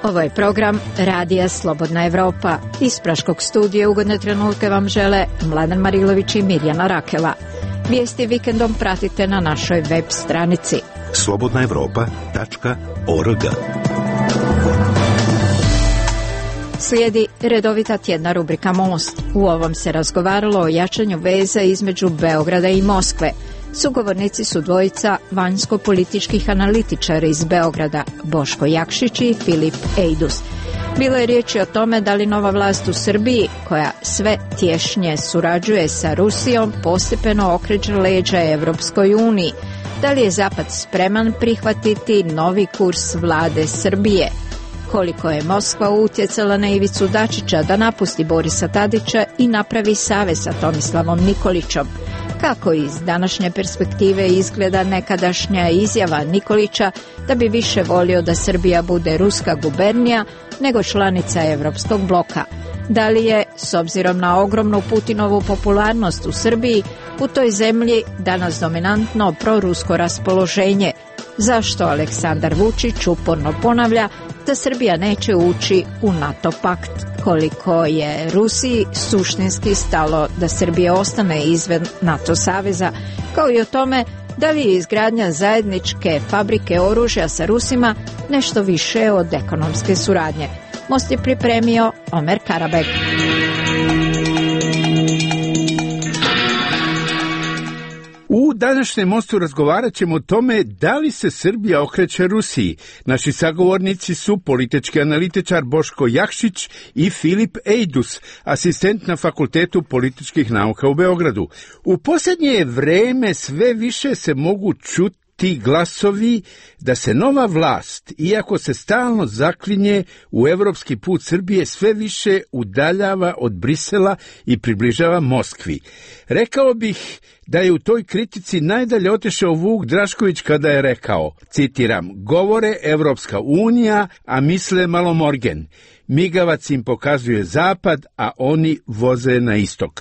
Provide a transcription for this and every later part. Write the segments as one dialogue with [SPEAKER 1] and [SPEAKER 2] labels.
[SPEAKER 1] Ovo je program Radija Slobodna Evropa. Iz Praškog studija ugodne trenutke vam žele Mladen Marilović i Mirjana Rakela. Vijesti vikendom pratite na našoj web stranici slobodnaevropa.org. Slijedi redovita tjedna rubrika Most. U ovom se razgovaralo o jačanju veza između Beograda i Moskve. Sugovornici su dvojica vanjsko-političkih analitičara iz Beograda, Boško Jakšić i Filip Ejdus. Bilo je riječi o tome da li nova vlast u Srbiji, koja sve tješnje surađuje sa Rusijom, postepeno okreće leđa Evropskoj uniji. Da li je Zapad spreman prihvatiti novi kurs vlade Srbije? Koliko je Moskva utjecala na Ivicu Dačića da napusti Borisa Tadića i napravi savez sa Tomislavom Nikolićom? Kako iz današnje perspektive izgleda nekadašnja izjava Nikolića da bi više volio da Srbija bude ruska gubernija nego članica Evropskog bloka? Da li je, s obzirom na ogromnu Putinovu popularnost u Srbiji, u toj zemlji danas dominantno prorusko raspoloženje? Zašto Aleksandar Vučić uporno ponavlja da Srbija neće ući u NATO pakt? Koliko je Rusiji suštinski stalo da Srbija ostane izvan NATO saveza, kao i o tome da li je izgradnja zajedničke fabrike oružja sa Rusima nešto više od ekonomske suradnje. Most je pripremio Omer Karabek.
[SPEAKER 2] U današnjem Mostu razgovarat ćemo o tome da li se Srbija okreće Rusiji. Naši sagovornici su politički analitičar Boško Jakšić i Filip Ejdus, asistent na Fakultetu političkih nauka u Beogradu. U posljednje vreme sve više se mogu čuti ti glasovi da se nova vlast, iako se stalno zaklinje u evropski put Srbije, sve više udaljava od Brisela i približava Moskvi. Rekao bih da je u toj kritici najdalje otišao Vuk Drašković kada je rekao, citiram, govore Evropska unija, a misle Malomorgen. Migavac im pokazuje zapad, a oni voze na istok.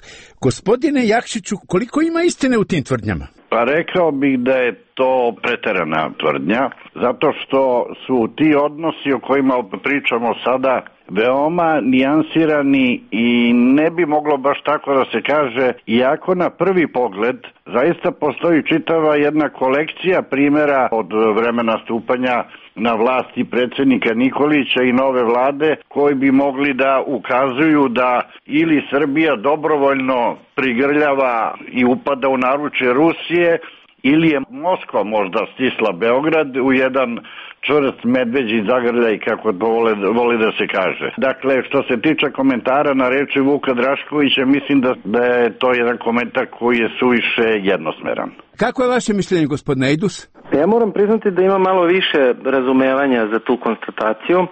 [SPEAKER 2] Gospodine Jakšiću, koliko ima istine u tim tvrdnjama?
[SPEAKER 3] Pa rekao bih da je to preterana tvrdnja, zato što su ti odnosi o kojima pričamo sada veoma nijansirani i ne bi moglo baš tako da se kaže, iako na prvi pogled zaista postoji čitava jedna kolekcija primjera od vremena stupanja na vlasti predsjednika Nikolića i nove vlade koji bi mogli da ukazuju da ili Srbija dobrovoljno prigrljava i upada u naručje Rusije, ili je Moskva možda stisla Beograd u jedan čvrst medveđi zagrljaj, kako to voli da se kaže. Dakle, što se tiče komentara na reči Vuka Draškovića, mislim da je to jedan komentar koji je suviše jednosmeran.
[SPEAKER 2] Kako je vaše mišljenje, gospodine Ejdus?
[SPEAKER 4] Ja moram priznati da ima malo više razumevanja za tu konstataciju.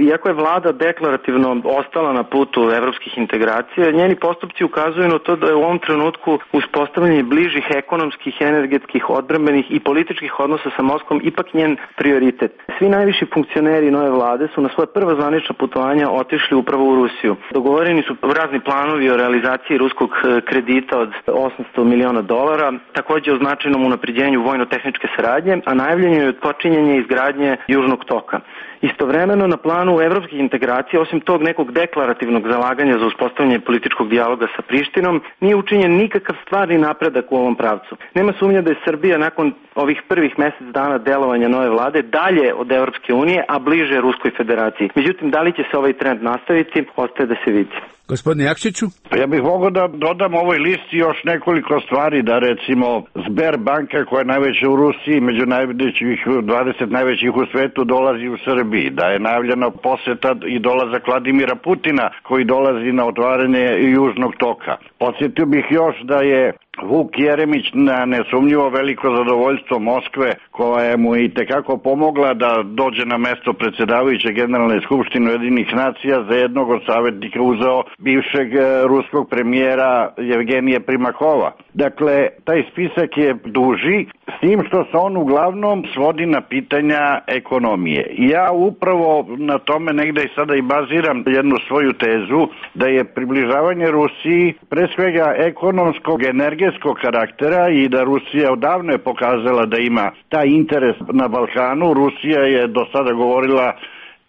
[SPEAKER 4] Iako je vlada deklarativno ostala na putu evropskih integracija, njeni postupci ukazuju na to da je u ovom trenutku uspostavljanje bližih ekonomskih, energetskih, odbrambenih i političkih odnosa sa Moskvom ipak njen prioritet. Svi najviši funkcioneri nove vlade su na svoje prva zvanična putovanja otišli upravo u Rusiju. Dogovoreni su razni planovi o realizaciji ruskog kredita od $800 miliona, također o značajnom unapređenju vojno-tehničke saradnje, a najavljeno je počinjenje izgradnje Južnog toka. Istovremeno na planu evropskih integracija, osim tog nekog deklarativnog zalaganja za uspostavljanje političkog dijaloga sa Prištinom, nije učinjen nikakav stvarni napredak u ovom pravcu. Nema sumnja da je Srbija nakon ovih prvih mjesec dana delovanja nove vlade dalje od Evropske unije, a bliže Ruskoj federaciji. Međutim, da li će se ovaj trend nastaviti, ostaje da se vidi.
[SPEAKER 2] Gospodine Jakšiću?
[SPEAKER 3] Ja bih mogao da dodam ovoj listi još nekoliko stvari, da recimo Sberbanka, koja je najveća u Rusiji, među 20 najvećih u svetu, dolazi u Srbiji, da je najavljena posjeta i dolazak Vladimira Putina koji dolazi na otvaranje Južnog toka. Podsjetio bih još da je Vuk Jeremić na nesumnjivo veliko zadovoljstvo Moskve, koja je mu i tekako pomogla da dođe na mesto predsjedavajuće Generalne skupštine Ujedinjenih nacija, za jednog od savjetnika uzeo bivšeg ruskog premijera Jevgenija Primakova. Dakle, taj spisak je duži, s tim što se on uglavnom svodi na pitanja ekonomije. Ja upravo na tome negde i sada i baziram jednu svoju tezu, da je približavanje Rusiji pre svega ekonomskog, energetskog karaktera i da Rusija odavno je pokazala da ima taj interes na Balkanu. Rusija je do sada govorila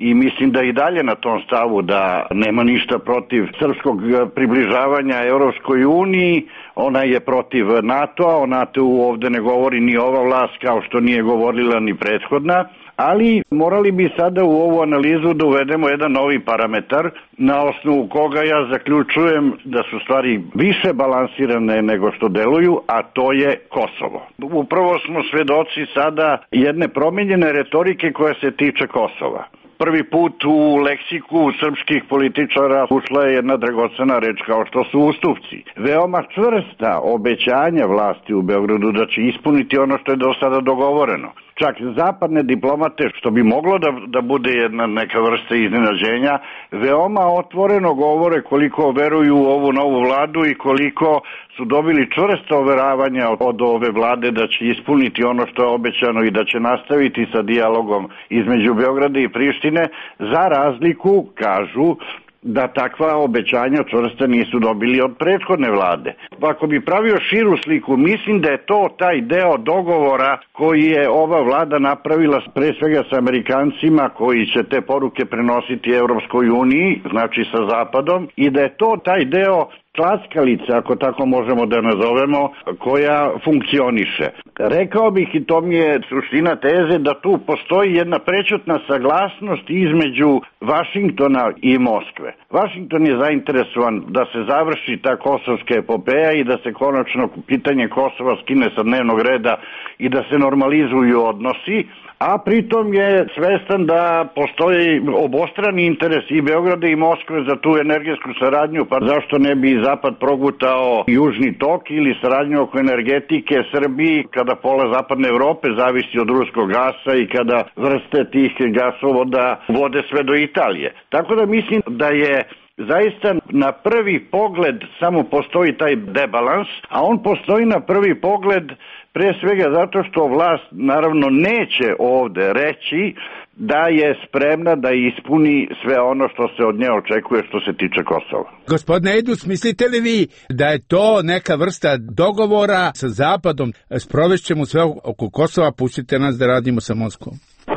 [SPEAKER 3] i mislim da i dalje na tom stavu da nema ništa protiv srpskog približavanja Evropskoj uniji. Ona je protiv NATO-a, o NATO-u ovde ne govori ni ova vlast kao što nije govorila ni prethodna, ali morali bi sada u ovu analizu da uvedemo jedan novi parametar na osnovu koga ja zaključujem da su stvari više balansirane nego što deluju, a to je Kosovo. Upravo smo svedoci sada jedne promenjene retorike koja se tiče Kosova. Prvi put u leksiku srpskih političara ušla je jedna dragocena reč kao što su ustupci. Veoma čvrsta obećanja vlasti u Beogradu da će ispuniti ono što je do sada dogovoreno. Čak zapadne diplomate, što bi moglo da bude jedna neka vrsta iznenađenja, veoma otvoreno govore koliko veruju u ovu novu vladu i koliko su dobili čvrsta overavanja od ove vlade da će ispuniti ono što je obećano i da će nastaviti sa dijalogom između Beograda i Prištine, za razliku, kažu, da takva obećanja čvrsta nisu dobili od prethodne vlade. Ako bi pravio širu sliku, mislim da je to taj deo dogovora koji je ova vlada napravila pre svega sa Amerikancima koji će te poruke prenositi Evropskoj uniji, znači sa Zapadom, i da je to taj deo klackalica, ako tako možemo da nazovemo, koja funkcioniše. Rekao bih, i to mi je suština teze, da tu postoji jedna prećutna saglasnost između Vašingtona i Moskve. Vašington je zainteresovan da se završi ta kosovska epopeja i da se konačno pitanje Kosova skine sa dnevnog reda i da se normalizuju odnosi, a pritom je svestan da postoji obostrani interes i Beograda i Moskve za tu energetsku saradnju, pa zašto ne bi Zapad progutao Južni tok ili saradnju oko energetike Srbiji, kada pola zapadne Evrope zavisi od ruskog gasa i kada vrste tih gasovoda vode sve do Italije. Tako da mislim da je zaista na prvi pogled samo postoji taj debalans, a on postoji na prvi pogled pre svega zato što vlast naravno neće ovde reći da je spremna da ispuni sve ono što se od nje očekuje što se tiče Kosova.
[SPEAKER 2] Gospodine Ejdus, mislite li vi da je to neka vrsta dogovora sa Zapadom, sprovešćemo sve oko Kosova, pustite nas da radimo sa Moskvom?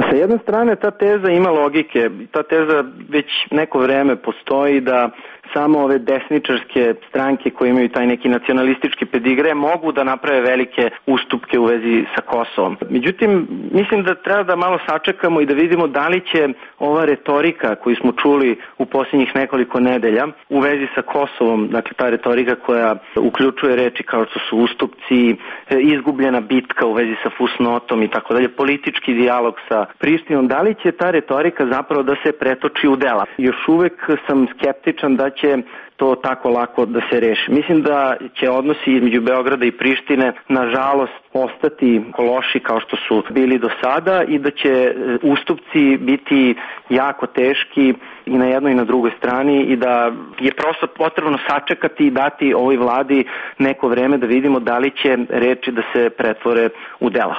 [SPEAKER 4] Sa jedne strane ta teza ima logike, ta teza već neko vreme postoji da samo ove desničarske stranke koje imaju taj neki nacionalistički pedigre mogu da naprave velike ustupke u vezi sa Kosovom. Međutim, mislim da treba da malo sačekamo i da vidimo da li će ova retorika koju smo čuli u posljednjih nekoliko nedelja u vezi sa Kosovom, dakle ta retorika koja uključuje reči kao što su ustupci, izgubljena bitka u vezi sa fusnotom i tako dalje, politički dijalog sa Prištinom, da li će ta retorika zapravo da se pretoči u dela? Još uvek sam skeptičan da će to tako lako da se reši. Mislim da će odnosi između Beograda i Prištine nažalost ostati loši kao što su bili do sada i da će ustupci biti jako teški i na jednoj i na drugoj strani i da je prosto potrebno sačekati i dati ovoj vladi neko vreme da vidimo da li će reči da se pretvore u dela.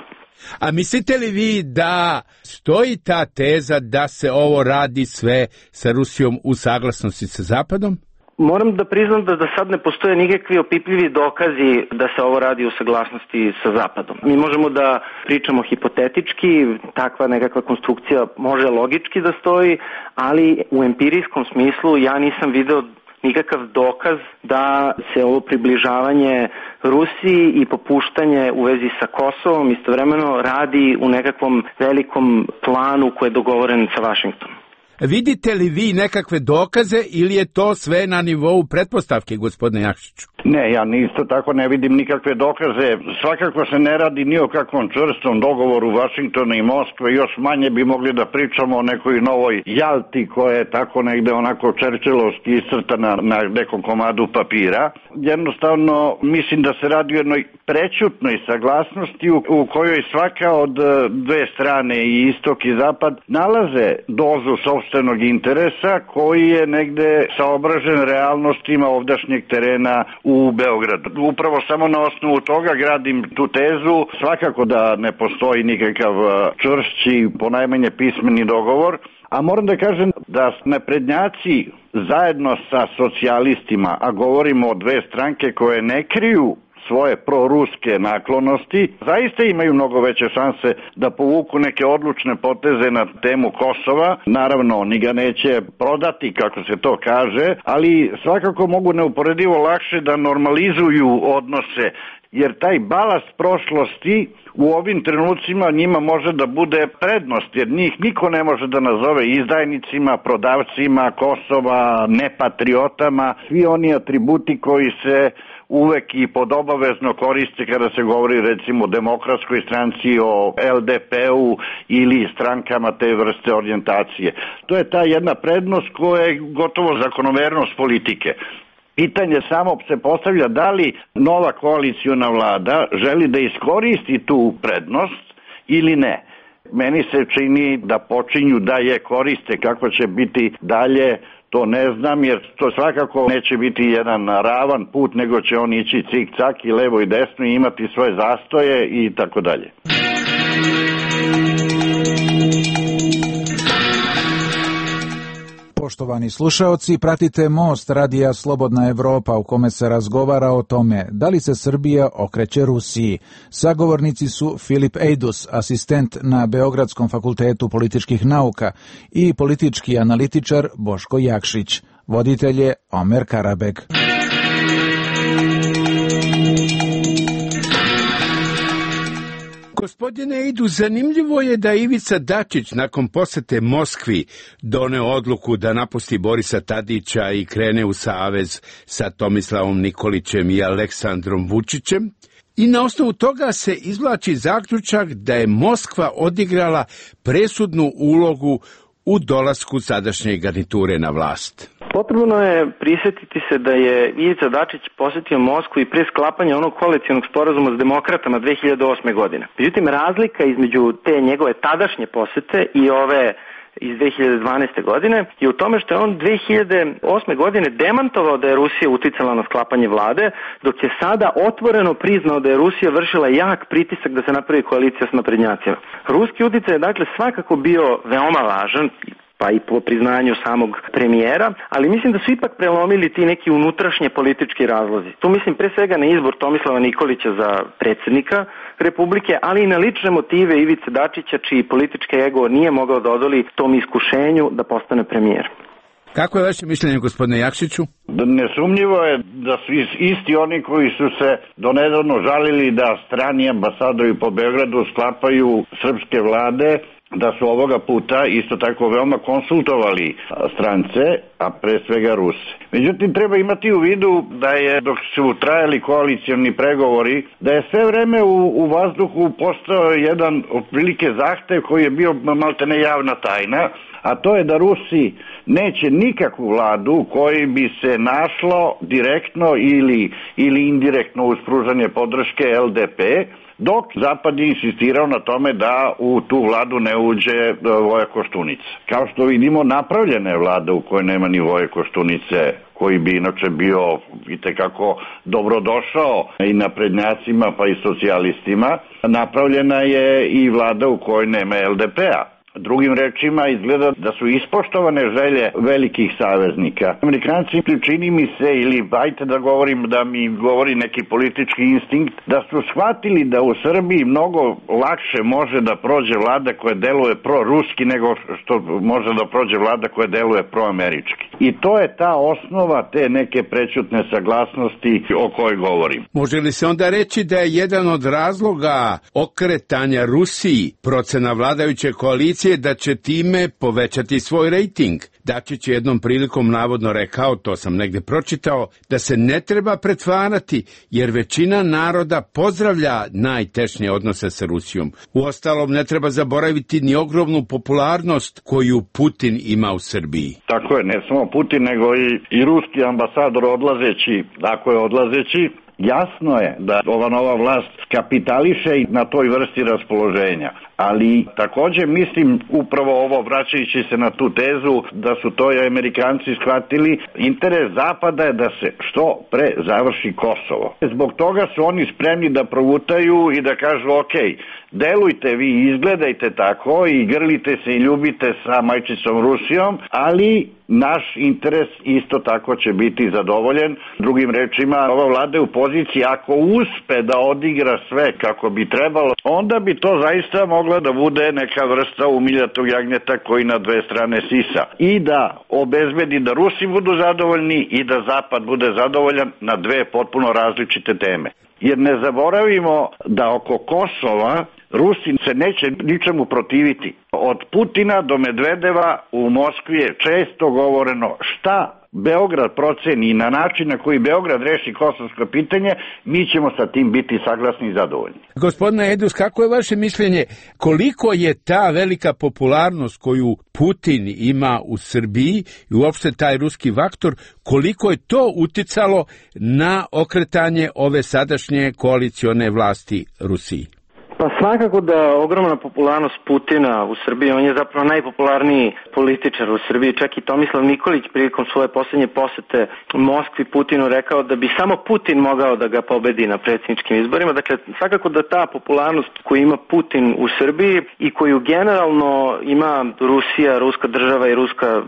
[SPEAKER 2] A mislite li vi da stoji ta teza da se ovo radi sve sa Rusijom u saglasnosti sa Zapadom?
[SPEAKER 4] Moram da priznam da sad ne postoje nikakvi opipljivi dokazi da se ovo radi u saglasnosti sa Zapadom. Mi možemo da pričamo hipotetički, takva nekakva konstrukcija može logički da stoji, ali u empirijskom smislu ja nisam video nikakav dokaz da se ovo približavanje Rusiji i popuštanje u vezi sa Kosovom istovremeno radi u nekakvom velikom planu koji je dogovoren sa Vašingtonom.
[SPEAKER 2] Vidite li vi nekakve dokaze ili je to sve na nivou pretpostavke, gospodine Jakšiću?
[SPEAKER 3] Ne, ja isto tako ne vidim nikakve dokaze. Svakako se ne radi ni o kakvom čvrstom dogovoru Vašingtona i Moskve, još manje bi mogli da pričamo o nekoj novoj Jalti koja je tako negde onako čerčilovski iscrtana na nekom komadu papira. Jednostavno mislim da se radi o jednoj prećutnoj saglasnosti u kojoj svaka od dve strane, i istok i zapad, nalaze dozu sopstvenog interesa koji je negde saobražen realnostima ovdašnjeg terena u Beogradu. Upravo samo na osnovu toga gradim tu tezu. Svakako da ne postoji nikakav čvršći, ponajmanje pismeni dogovor, a moram da kažem da naprednjaci zajedno sa socijalistima, a govorimo o dve stranke koje ne kriju svoje proruske naklonosti, zaista imaju mnogo veće šanse da povuku neke odlučne poteze na temu Kosova. Naravno, oni ga neće prodati, kako se to kaže, ali svakako mogu neuporedivo lakše da normalizuju odnose, jer taj balast prošlosti u ovim trenucima njima može da bude prednost, jer njih niko ne može da nazove izdajnicima, prodavcima Kosova, nepatriotama, svi oni atributi koji se uvek i podobavezno koriste kada se govori recimo o Demokratskoj stranci, o LDP-u ili strankama te vrste orijentacije. To je ta jedna prednost koja je gotovo zakonomernost politike. Pitanje samo se postavlja da li nova koaliciona vlada želi da iskoristi tu prednost ili ne. Meni se čini da počinju da je koriste. Kako će biti dalje, to ne znam, jer to svakako neće biti jedan ravan put, nego će on ići cik-cak i levo i desno i imati svoje zastoje i tako dalje.
[SPEAKER 5] Poštovani slušaoci, pratite Most radija Slobodna Evropa u kome se razgovara o tome da li se Srbija okreće Rusiji. Sagovornici su Filip Ejdus, asistent na Beogradskom fakultetu političkih nauka, i politički analitičar Boško Jakšić. Voditelj je Omer Karabek.
[SPEAKER 2] Gospodine Idu, zanimljivo je da Ivica Dačić nakon posete Moskvi doneo odluku da napusti Borisa Tadića i krene u savez sa Tomislavom Nikolićem i Aleksandrom Vučićem. I na osnovu toga se izvlači zaključak da je Moskva odigrala presudnu ulogu u dolasku sadašnje garniture na vlast.
[SPEAKER 4] Potrebno je prisjetiti se da je Ivica Dačić posjetio Moskvu i pre sklapanja onog koalicionog sporazuma s demokratama 2008. godine. Međutim, razlika između te njegove tadašnje posete i ove iz 2012. godine je u tome što je on 2008. godine demantovao da je Rusija uticala na sklapanje vlade, dok je sada otvoreno priznao da je Rusija vršila jak pritisak da se napravi koalicija s naprednjacima. Ruski uticaj je dakle svakako bio veoma važan, pa i po priznanju samog premijera, ali mislim da su ipak prelomili ti neki unutrašnje politički razlozi. Tu mislim pre svega na izbor Tomislava Nikolića za predsjednika Republike, ali i na lične motive Ivice Dačića, čiji politički ego nije mogao da odoli tom iskušenju da postane premijer.
[SPEAKER 2] Kako je vaše mišljenje, gospodine Jakšiću?
[SPEAKER 3] Nesumnjivo je da su isti oni koji su se donedavno žalili da strani ambasadori po Beogradu sklapaju srpske vlade, da su ovoga puta isto tako veoma konsultovali strance, a pre svega Ruse. Međutim, treba imati u vidu da je, dok su trajali koalicioni pregovori, da je sve vreme u vazduhu postao jedan otprilike zahtev koji je bio maltene javna tajna, a to je da Rusi neće nikakvu vladu koji bi se našlo direktno ili indirektno uz pružanje podrške LDP, dok Zapad je insistirao na tome da u tu vladu ne uđe Voja Koštunica. Kao što vidimo, napravljena je vlada u kojoj nema ni Voje Koštunice, koji bi inače bio itekako dobrodošao i naprednjacima pa i socijalistima. Napravljena je i vlada u kojoj nema LDP-a. Drugim rečima, izgleda da su ispoštovane želje velikih saveznika. Amerikanci, čini mi se, ili ajte da govorim, da mi govori neki politički instinkt, da su shvatili da u Srbiji mnogo lakše može da prođe vlada koja deluje proruski nego što može da prođe vlada koja deluje proamerički. I to je ta osnova te neke prećutne saglasnosti o kojoj govorim.
[SPEAKER 2] Može li se onda reći da je jedan od razloga okretanja Rusiji procena vladajuće koalicije da će time povećati svoj rejting? Dačić je jednom prilikom navodno rekao, to sam negde pročitao, da se ne treba pretvarati, jer većina naroda pozdravlja najtešnje odnose sa Rusijom. Uostalom, ne treba zaboraviti ni ogromnu popularnost koju Putin ima u Srbiji.
[SPEAKER 3] Tako je, ne samo Putin, nego i ruski ambasador odlazeći, ako je odlazeći, jasno je da ova nova vlast kapitališe na toj vrsti raspoloženja, ali također mislim upravo ovo, vraćajući se na tu tezu da su to i Amerikanci shvatili, interes Zapada je da se što pre završi Kosovo. Zbog toga su oni spremni da provutaju i da kažu ok, delujte vi, izgledajte tako i grlite se i ljubite sa majčicom Rusijom, ali naš interes isto tako će biti zadovoljen. Drugim rečima, ova vlada je u poziciji, ako uspe da odigra sve kako bi trebalo, onda bi to zaista mogla da bude neka vrsta umiljatog jagnjeta koji na dve strane sisa i da obezbedi da Rusi budu zadovoljni i da Zapad bude zadovoljan na dve potpuno različite teme. Jer ne zaboravimo da oko Kosova Rusi se neće ničemu protiviti. Od Putina do Medvedeva u Moskvi je često govoreno šta Beograd proceni i na način na koji Beograd reši kosovsko pitanje, mi ćemo sa tim biti saglasni i zadovoljni.
[SPEAKER 2] Gospodine Edus, kako je vaše mišljenje, koliko je ta velika popularnost koju Putin ima u Srbiji i uopšte taj ruski faktor, koliko je to uticalo na okretanje ove sadašnje koalicione vlasti Rusiji?
[SPEAKER 4] Pa svakako da ogromna popularnost Putina u Srbiji, on je zapravo najpopularniji političar u Srbiji, čak i Tomislav Nikolić prilikom svoje posljednje posete Moskvi Putinu rekao da bi samo Putin mogao da ga pobedi na predsjedničkim izborima. Dakle, svakako da ta popularnost koju ima Putin u Srbiji i koju generalno ima Rusija, ruska država i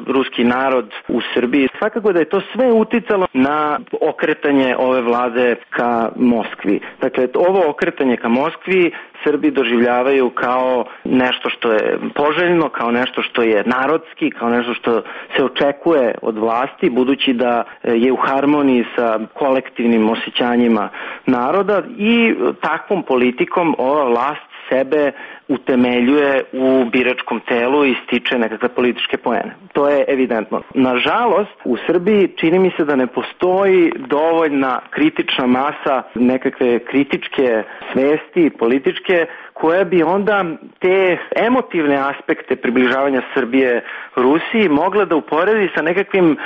[SPEAKER 4] ruski narod u Srbiji, svakako da je to sve uticalo na okretanje ove vlade ka Moskvi. Dakle, ovo okretanje ka Moskvi Srbi doživljavaju kao nešto što je poželjno, kao nešto što je narodski, kao nešto što se očekuje od vlasti, budući da je u harmoniji sa kolektivnim osjećanjima naroda i takvom politikom ova vlast sebe utemeljuje u biračkom telu i stiče nekakve političke poene. To je evidentno. Nažalost, u Srbiji čini mi se da ne postoji dovoljna kritična masa nekakve kritičke svesti političke koja bi onda te emotivne aspekte približavanja Srbije Rusiji mogla da uporedi sa nekakvim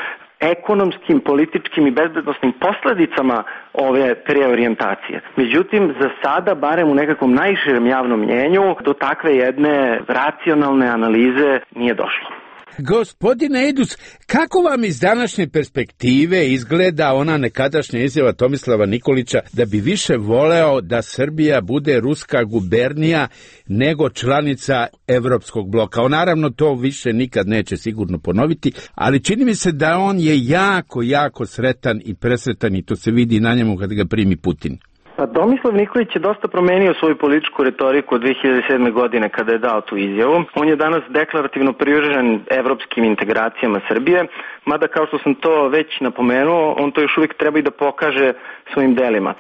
[SPEAKER 4] ekonomskim, političkim i bezbednosnim posledicama ove preorijentacije. Međutim, za sada, barem u nekakvom najširem javnom mnjenju, do takve jedne racionalne analize nije došlo.
[SPEAKER 2] Gospodine Edus, kako vam iz današnje perspektive izgleda ona nekadašnja izjava Tomislava Nikolića da bi više voleo da Srbija bude ruska gubernija nego članica Evropskog bloka? On naravno to više nikad neće sigurno ponoviti, ali čini mi se da on je jako sretan i presretan i to se vidi na njemu kad ga primi Putin.
[SPEAKER 4] Pa Tomislav Nikolić je dosta promenio svoju političku retoriku od 2007. godine kada je dao tu izjavu. On je danas deklarativno privržen evropskim integracijama Srbije, mada kao što sam to već napomenuo, on to još uvijek treba i da pokaže svojim delima.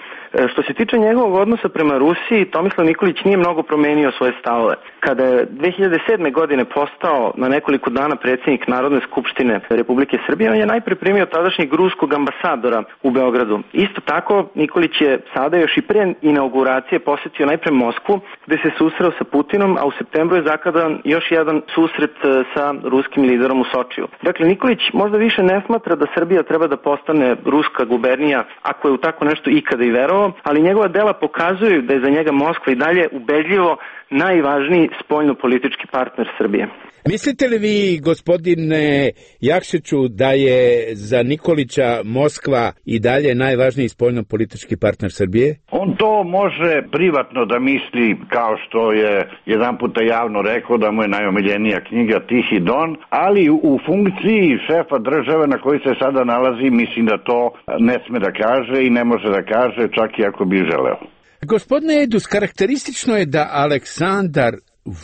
[SPEAKER 4] Što se tiče njegovog odnosa prema Rusiji, Tomislav Nikolić nije mnogo promenio svoje stavove. Kada je 2007. godine postao na nekoliko dana predsjednik Narodne skupštine Republike Srbije, on je najpre primio tadašnjeg ruskog ambasadora u Beogradu. Isto tako, Nikolić je sada još i pre inauguracije posetio najpre Moskvu, gde se susreo sa Putinom, a u septembru je zakadan još jedan susret sa ruskim liderom u Sočiju. Dakle, Nikolić možda više ne smatra da Srbija treba da postane ruska gubernija, ako je u tako nešto ikada i verovao, ali njegova dela pokazuju da je za njega Moskva i dalje ubedljivo najvažniji spoljno-politički partner Srbije.
[SPEAKER 2] Mislite li vi, gospodine Jakšiću, da je za Nikolića Moskva i dalje najvažniji spoljno-politički partner Srbije?
[SPEAKER 3] On to može privatno da misli, kao što je jedan puta javno rekao da mu je najomiljenija knjiga Tihi Don, ali u funkciji šefa države na koji se sada nalazi, mislim da to ne sme da kaže i ne može da kaže, čak i ako bi želeo.
[SPEAKER 2] Gospodine Edus, karakteristično je da Aleksandar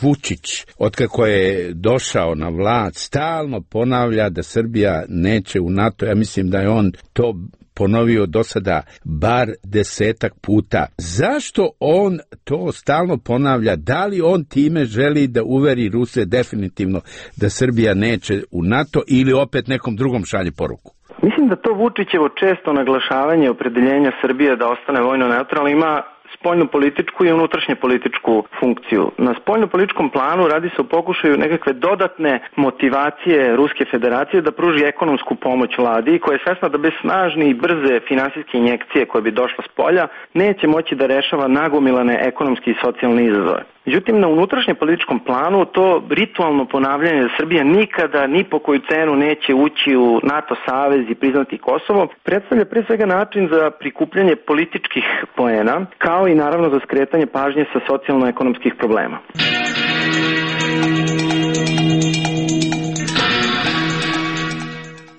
[SPEAKER 2] Vučić, otkako je došao na vlast, stalno ponavlja da Srbija neće u NATO. Ja mislim da je on to ponovio do sada bar 10 puta. Zašto on to stalno ponavlja? Da li on time želi da uveri Ruse definitivno da Srbija neće u NATO ili opet nekom drugom šalje poruku?
[SPEAKER 4] Mislim da to Vučićevo često naglašavanje opredeljenja Srbije da ostane vojno neutralna ima spoljno-političku i unutrašnje-političku funkciju. Na spoljno-političkom planu radi se o pokušaju nekakve dodatne motivacije Ruske federacije da pruži ekonomsku pomoć vladi, koja je svesna da bez snažne i brze finansijske injekcije koje bi došla s polja neće moći da rešava nagomilane ekonomske i socijalne izazove. Međutim, na unutrašnje-političkom planu to ritualno ponavljanje da Srbija nikada ni po koju cenu neće ući u NATO savez i priznati Kosovo predstavlja pre svega način za prikupljanje političkih poena, kao i naravno za skretanje pažnje sa socijalno-ekonomskih problema.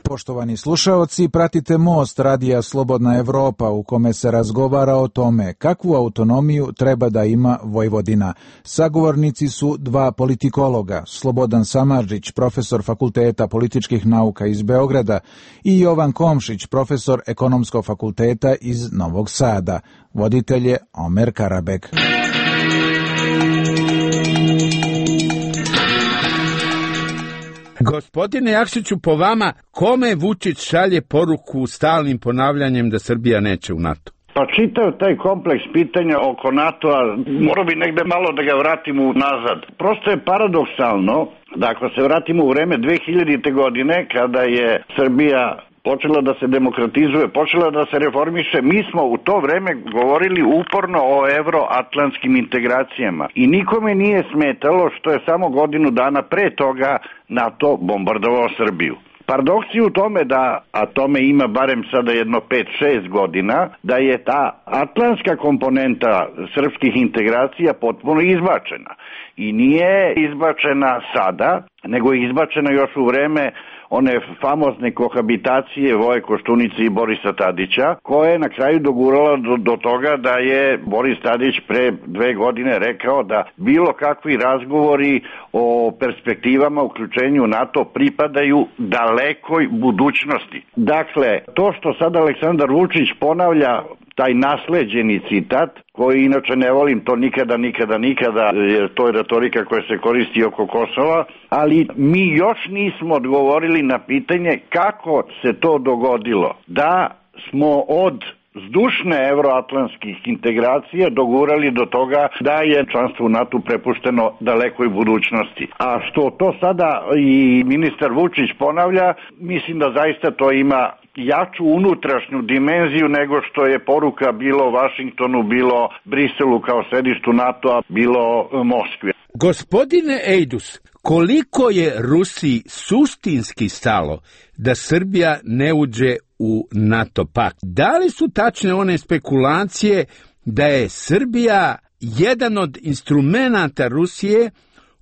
[SPEAKER 5] Poštovani slušaoci, pratite Most radija Slobodna Evropa u kome se razgovara o tome kakvu autonomiju treba da ima Vojvodina. Sagovornici su dva politikologa, Slobodan Samardžić, profesor Fakulteta političkih nauka iz Beograda i Jovan Komšić, profesor Ekonomskog fakulteta iz Novog Sada. Voditelj je Omer Karabek.
[SPEAKER 2] Gospodine Jakšiću, po vama, kome Vučić šalje poruku stalnim ponavljanjem da Srbija neće u NATO?
[SPEAKER 3] Pa čitav taj kompleks pitanja oko NATO-a, morao bi negde malo da ga vratimo nazad. Prosto je paradoksalno da ako se vratimo u vreme 2000. godine, kada je Srbija počela da se demokratizuje, počela da se reformiše, mi smo u to vreme govorili uporno o evroatlantskim integracijama i nikome nije smetalo što je samo godinu dana pre toga NATO bombardovao Srbiju. Paradoks je u tome da, a tome ima barem sada jedno 5-6 godina, da je ta atlantska komponenta srpskih integracija potpuno izbačena. I nije izbačena sada, nego je izbačena još u vreme one famozne kohabitacije Voje Koštunice i Borisa Tadića, koja je na kraju dogurala do toga da je Boris Tadić pre 2 godine rekao da bilo kakvi razgovori o perspektivama uključenju NATO pripadaju dalekoj budućnosti. Dakle, to što sad Aleksandar Vučić ponavlja taj nasleđeni citat, koji inače ne volim, to nikada, jer to je retorika koja se koristi oko Kosova, ali mi još nismo odgovorili na pitanje kako se to dogodilo, da smo od zdušne evroatlantskih integracija dogurali do toga da je članstvo u NATO prepušteno dalekoj budućnosti. A što to sada i ministar Vučić ponavlja, mislim da zaista to ima jaču unutrašnju dimenziju nego što je poruka bilo Vašingtonu, bilo Briselu kao sedištu NATO-a, bilo Moskvi.
[SPEAKER 2] Gospodine Ejdus, koliko je Rusiji suštinski stalo da Srbija ne uđe u NATO pakt? Da li su tačne one spekulacije da je Srbija jedan od instrumenata Rusije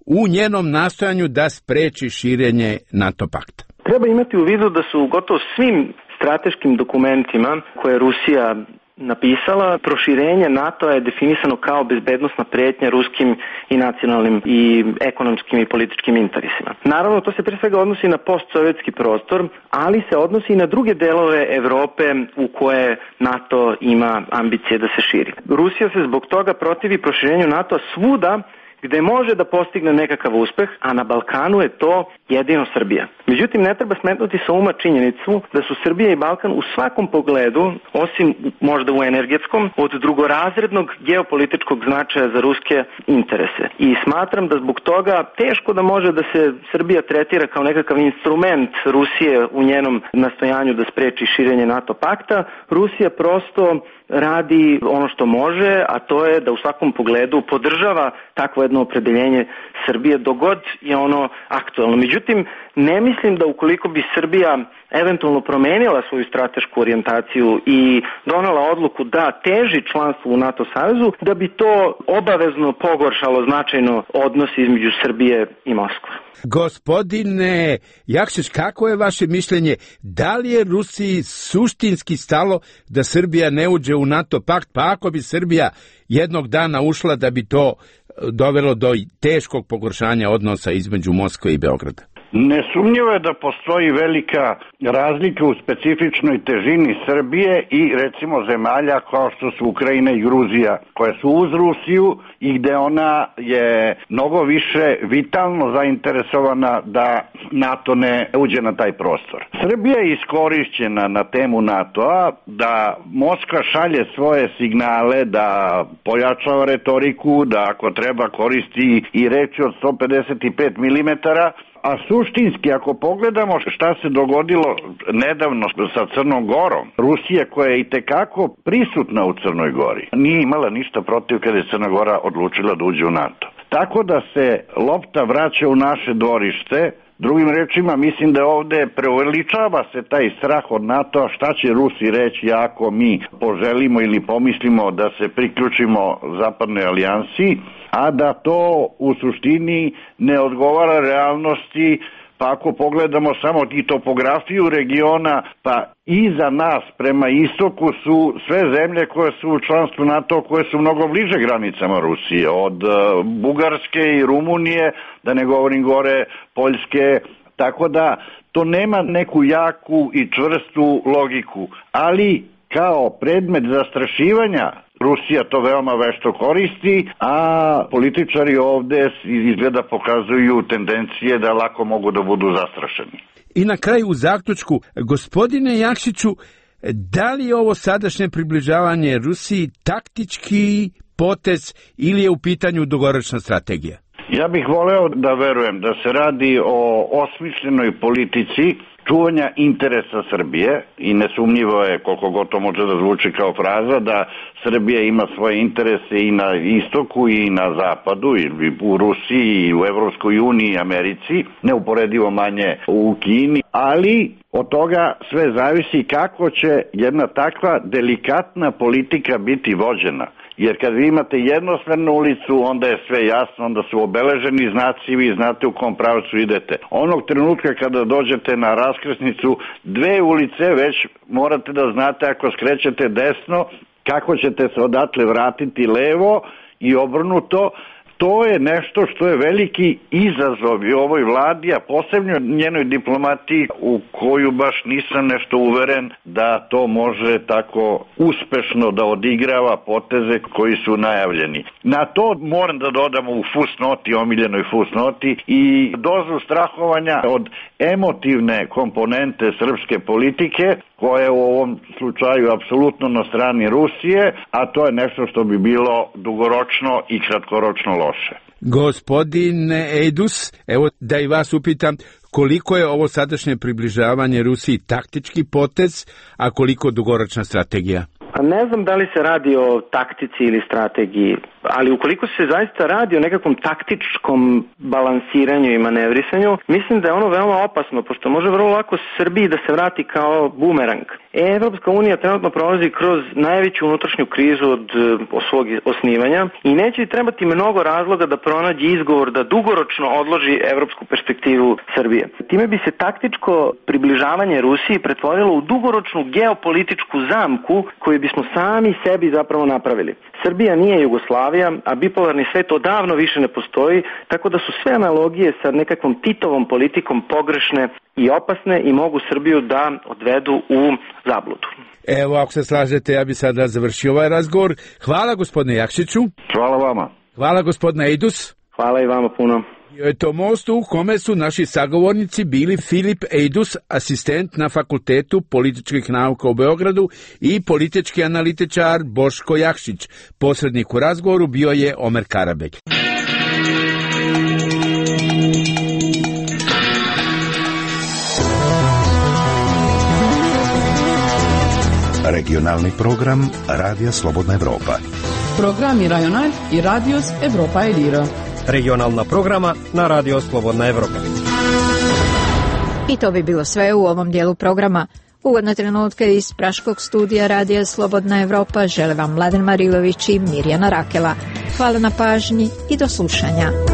[SPEAKER 2] u njenom nastojanju da spreči širenje NATO pakta?
[SPEAKER 4] Treba imati u vidu da su gotovo svim strateškim dokumentima koje je Rusija napisala, proširenje NATO je definisano kao bezbednosna pretnja ruskim i nacionalnim i ekonomskim i političkim interesima. Naravno, to se pre svega odnosi na postsovjetski prostor, ali se odnosi i na druge delove Evrope u koje NATO ima ambicije da se širi. Rusija se zbog toga protivi proširenju NATO svuda gde može da postigne nekakav uspeh, a na Balkanu je to jedino Srbija. Međutim, ne treba smetnuti sa uma činjenicu da su Srbija i Balkan u svakom pogledu, osim možda u energetskom, od drugorazrednog geopolitičkog značaja za ruske interese. I smatram da zbog toga teško da može da se Srbija tretira kao nekakav instrument Rusije u njenom nastojanju da spreči širenje NATO pakta. Rusija prosto radi ono što može, a to je da u svakom pogledu podržava takvo jedno opredeljenje Srbije dogod je ono aktualno. Međutim, ne mislim da ukoliko bi Srbija eventualno promenila svoju stratešku orijentaciju i donela odluku da teži članstvu u NATO savezu, da bi to obavezno pogoršalo značajno odnos između Srbije i Moskve.
[SPEAKER 2] Gospodine Jakšić, kako je vaše mišljenje? Da li je Rusiji suštinski stalo da Srbija ne uđe u NATO pakt, pa ako bi Srbija jednog dana ušla, da bi to dovelo do teškog pogoršanja odnosa između Moskve i Beograda?
[SPEAKER 3] Nesumnjivo je da postoji velika razlika u specifičnoj težini Srbije i recimo zemalja kao što su Ukrajina i Gruzija, koje su uz Rusiju i gde ona je mnogo više vitalno zainteresovana da NATO ne uđe na taj prostor. Srbija je iskorišćena na temu NATO-a, da Moskva šalje svoje signale, da pojačava retoriku, da ako treba koristi i reči od 155 mm, a suštinski, ako pogledamo šta se dogodilo nedavno sa Crnom Gorom, Rusija koja je itekako prisutna u Crnoj Gori, nije imala ništa protiv kada je Crna Gora odlučila da uđe u NATO. Tako da se lopta vraća u naše dvorište. Drugim rečima, mislim da ovde preuveličava se taj strah od NATO-a, šta će Rusi reći ako mi poželimo ili pomislimo da se priključimo zapadnoj alijansi, a da to u suštini ne odgovara realnosti pa ako pogledamo samo i topografiju regiona, pa iza nas prema istoku su sve zemlje koje su u članstvu NATO, koje su mnogo bliže granicama Rusije, od Bugarske i Rumunije, da ne govorim gore, Poljske, tako da to nema neku jaku i čvrstu logiku, ali kao predmet zastrašivanja Rusija to veoma vešto koristi, a političari ovde izgleda pokazuju tendencije da lako mogu da budu zastrašeni.
[SPEAKER 2] I na kraju u zaključku, gospodine Jakšiću, da li je ovo sadašnje približavanje Rusiji taktički potez ili je u pitanju dugoročna strategija?
[SPEAKER 3] Ja bih voleo da verujem da se radi o osmišljenoj politici čuvanja interesa Srbije i nesumnjivo je, koliko god to može da zvuči kao fraza, da Srbija ima svoje interese i na istoku i na zapadu, i u Rusiji i u Evropskoj uniji i Americi, neuporedivo manje u Kini, ali od toga sve zavisi kako će jedna takva delikatna politika biti vođena. Jer kad vi imate jednosmernu ulicu, onda je sve jasno, onda su obeleženi znaci, vi znate u kom pravcu idete. Onog trenutka kada dođete na raskrsnicu dve ulice, već morate da znate ako skrećete desno, kako ćete se odatle vratiti levo i obrnuto. To je nešto što je veliki izazov i ovoj vladi, a posebno njenoj diplomatiji u koju baš nisam nešto uveren da to može tako uspešno da odigrava poteze koji su najavljeni. Na to moram da dodamo u fusnoti, omiljenoj fusnoti, i dozu strahovanja od emotivne komponente srpske politike, koja je u ovom slučaju apsolutno na strani Rusije, a to je nešto što bi bilo dugoročno i kratkoročno loše.
[SPEAKER 2] Gospodine Ejdus, evo da i vas upitam, koliko je ovo sadašnje približavanje Rusiji taktički potez, a koliko dugoročna strategija?
[SPEAKER 4] Ne znam da li se radi o taktici ili strategiji, ali ukoliko se zaista radi o nekakvom taktičkom balansiranju i manevrisanju, mislim da je ono veoma opasno, pošto može vrlo lako Srbiji da se vrati kao bumerang. Evropska unija trenutno prolazi kroz najveću unutrašnju krizu od svog osnivanja i neće trebati mnogo razloga da pronađe izgovor da dugoročno odloži evropsku perspektivu Srbije. Time bi se taktičko približavanje Rusiji pretvorilo u dugoročnu geopolitičku zamku koju bismo sami sebi zapravo napravili. Srbija nije Jugoslavija, a bipolarni svet odavno više ne postoji, tako da su sve analogije sa nekakvom Titovom politikom pogrešne i opasne i mogu Srbiju da odvedu u zabludu.
[SPEAKER 2] Evo, ako se slažete, ja bi sada završio ovaj razgovor. Hvala gospodine Jakšiću.
[SPEAKER 3] Hvala vama.
[SPEAKER 2] Hvala gospodine Ejdus.
[SPEAKER 4] Hvala i vama puno.
[SPEAKER 2] Je to most u kome su naši sagovornici bili Filip Ejdus, asistent na Fakultetu političkih nauka u Beogradu, i politički analitičar Boško Jakšić. Posrednik u razgovoru bio je Omer Karabek.
[SPEAKER 6] Regionalni program Radija Slobodna Evropa.
[SPEAKER 7] Programi Rajonal i Radios Evropa Elira.
[SPEAKER 8] Regionalna programa na Radio Slobodna Evropa.
[SPEAKER 1] I to bi bilo sve u ovom dijelu programa. Uvodne trenutke iz praškog studija Radija Slobodna Evropa žele vam Mladen Marilović i Mirjana Rakela. Hvala na pažnji i do slušanja.